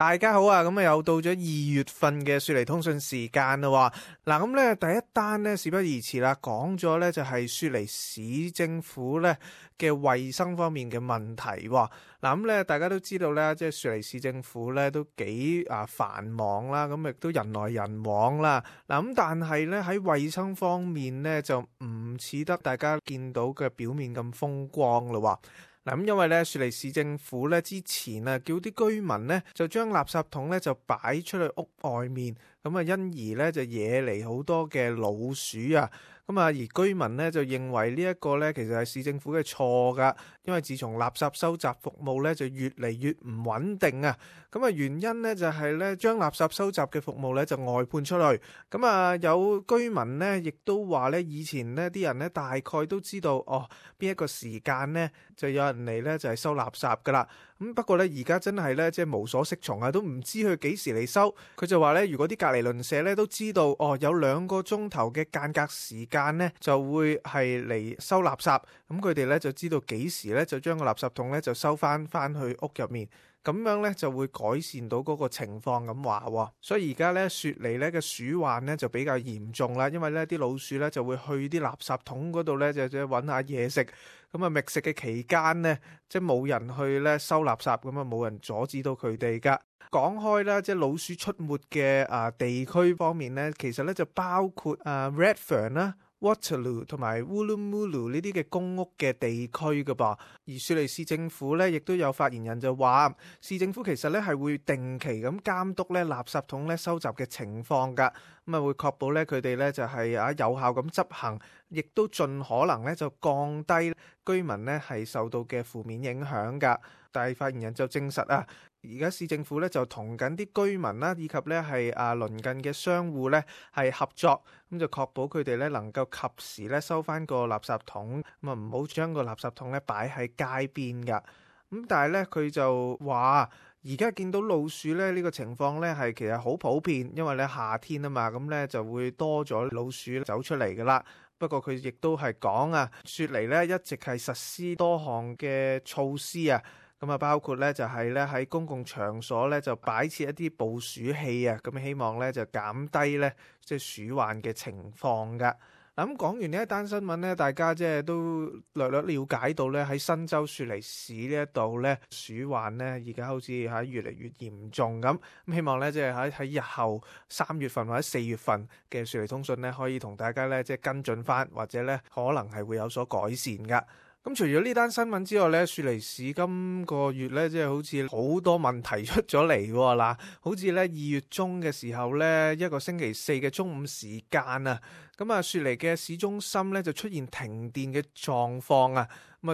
大家好啊，咁又到咗2月份嘅雪梨通訊時間啦。嗱，咁咧第一單咧事不宜遲啦，講咗咧就係雪梨市政府咧嘅衛生方面嘅問題。嗱，咁咧大家都知道咧，即係雪梨市政府咧都幾繁忙啦，咁亦都人來人往啦。嗱，咁但係咧喺衛生方面咧就唔似得大家見到嘅表面咁風光啦。嗱，咁因為咧雪梨市政府咧之前叫啲居民咧就將垃圾桶咧就擺出去屋外面，咁因而咧就惹嚟好多嘅老鼠啊。而居民咧就認為呢一個咧其實係市政府嘅錯噶，因為自從垃圾收集服務咧就越嚟越唔穩定啊。原因咧就係咧將垃圾收集嘅服務咧就外判出去。有居民咧亦都話咧以前呢啲人咧大概都知道邊一個時間咧就有人嚟咧就係收垃圾噶啦。不過咧而家真係咧即係無所適從啊，都唔知佢幾時嚟收。佢就話咧如果啲隔離鄰舍咧都知道有2個鐘頭嘅間隔時間咧就會係嚟收垃圾，咁佢哋咧就知道幾時咧就將個垃圾桶咧就收翻去屋入面，咁樣咧就會改善到嗰個情況咁話。所以而家咧雪梨咧嘅鼠患咧就比較嚴重啦，因為咧啲老鼠咧就會去啲垃圾桶嗰度咧就揾下嘢食。覓食嘅期間呢，即係冇人去咧收垃圾，冇人阻止到佢哋噶。講開啦，即係老鼠出沒嘅地區方面咧，其實咧就包括Redfern 啦、Waterloo 同埋 Woolloomooloo 呢啲嘅公屋嘅地區噶噃。而雪梨市政府咧亦都有發言人就話，市政府其實咧係會定期咁監督咧垃圾桶咧收集嘅情況噶，會確保咧佢哋咧就係有效咁執行，亦都盡可能咧就降低居民咧係受到嘅負面影響噶。但係發言人就證實而家市政府咧就同緊啲居民啦，以及咧係鄰近嘅商戶咧係合作，咁就確保佢哋咧能夠及時咧收翻個垃圾桶，唔好將個垃圾桶咧擺喺街邊噶。但係咧佢就話而家見到老鼠咧呢個情況咧係其實好普遍，因為咧夏天啊嘛，咁咧就會多咗老鼠走出嚟噶啦。不過佢亦都係講雪梨咧一直係實施多項嘅措施啊。包括咧就係咧喺公共場所咧就擺設一啲捕鼠器啊，咁希望咧就減低咧即係鼠患嘅情況噶。咁講完呢一單新聞咧，大家即係都略略了解到咧喺新州雪梨市呢一度咧鼠患咧而家好似喺越嚟越嚴重咁。希望咧即係喺日後3月份或者4月份嘅雪梨通訊咧可以同大家咧即係跟進翻，或者咧可能係會有所改善噶。除咗呢單新聞之外咧，雪梨市今個月咧，即係好似好多問題出咗嚟喎嗱，好似咧2月中嘅時候咧，一個星期四嘅中午時間雪梨嘅市中心咧就出現停電嘅狀況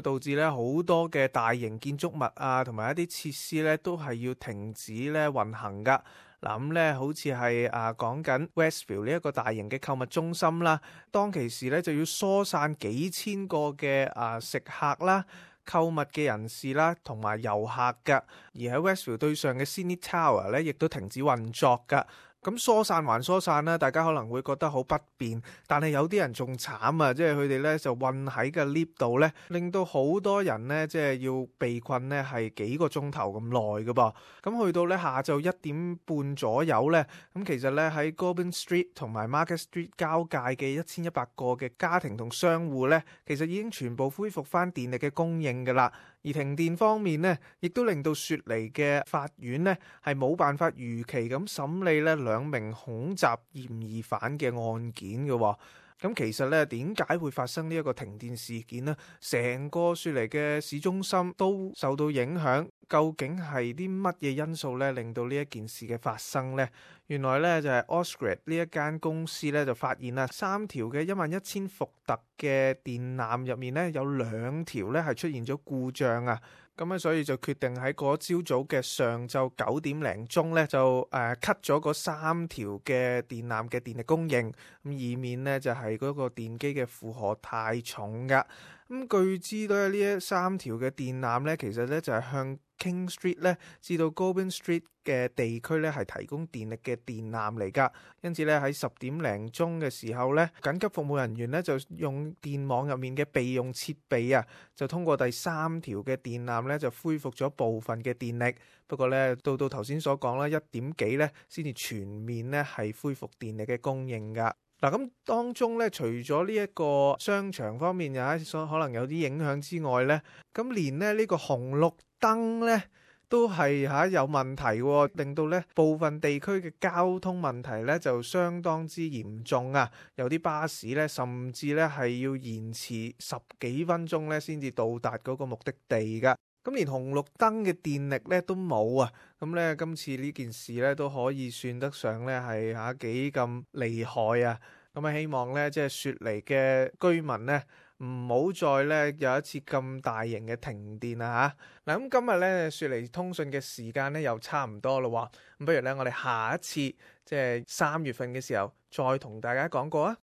導致咧好多嘅大型建築物同埋一啲設施咧都係要停止咧運行噶。咁咧好似係講緊 Westville 呢一個大型嘅購物中心啦，當其時咧就要疏散幾千個嘅食客啦、購物嘅人士啦同埋遊客噶，而喺 Westville 對上嘅 Sydney Tower 咧亦都停止運作噶。咁疏散還疏散啦，大家可能會覺得好不便，但係有啲人仲慘即係佢哋咧就困喺個 lift 度咧，令到好多人咧即係要被困咧係幾個鐘頭咁耐噶噃。咁去到咧下晝1點半左右咧，咁其實咧喺 Goulburn Street 同埋 Market Street 交界嘅1100個嘅家庭同商戶咧，其實已經全部恢復翻電力嘅供應噶啦。而停電方面呢，亦都令到雪梨嘅法院呢係冇辦法如期咁審理呢2名恐襲嫌疑犯嘅案件嘅。咁其實咧，點解會發生呢一個停電事件呢？成個雪梨嘅市中心都受到影響，究竟係啲乜嘢因素咧，令到呢一件事嘅發生呢？原來咧就係 Ausgrid 呢一間公司咧就發現啦，3條嘅11000伏特嘅電纜入面咧有2條咧係出現咗故障啊！咁所以就決定喺嗰朝早嘅上晝9點零鐘咧就cut 咗嗰3條嘅電纜嘅電力供應，咁以免咧就係嗰個電機嘅負荷太重噶。據知咧，呢3條嘅電纜咧，其實咧就係向 King Street 咧至到 Goulburn Street 嘅地區咧係提供電力嘅電纜嚟㗎。因此咧喺10點零鐘嘅時候咧，緊急服務人員咧就用電網入面嘅備用設備啊，就通過第3條嘅電纜咧就恢復咗部分嘅電力。不過咧到頭先所講啦，1點幾咧先至全面咧係恢復電力嘅供應㗎。嗱，咁當中咧，除咗呢一個商場方面可能有啲影響之外咧，咁連呢個紅綠燈咧都係有問題喎，令到咧部分地區嘅交通問題咧就相當之嚴重啊！有啲巴士咧甚至咧係要延遲10幾分鐘咧先至到達嗰個目的地噶。咁連紅綠燈嘅電力咧都冇啊！咁咧今次呢件事咧都可以算得上咧係幾咁厲害啊！咁希望咧即係雪梨嘅居民咧唔好再咧有一次咁大型嘅停電啊！嗱，咁今日咧雪梨通訊嘅時間咧又差唔多咯，咁不如咧我哋下一次即係3月份嘅時候再同大家講過啊！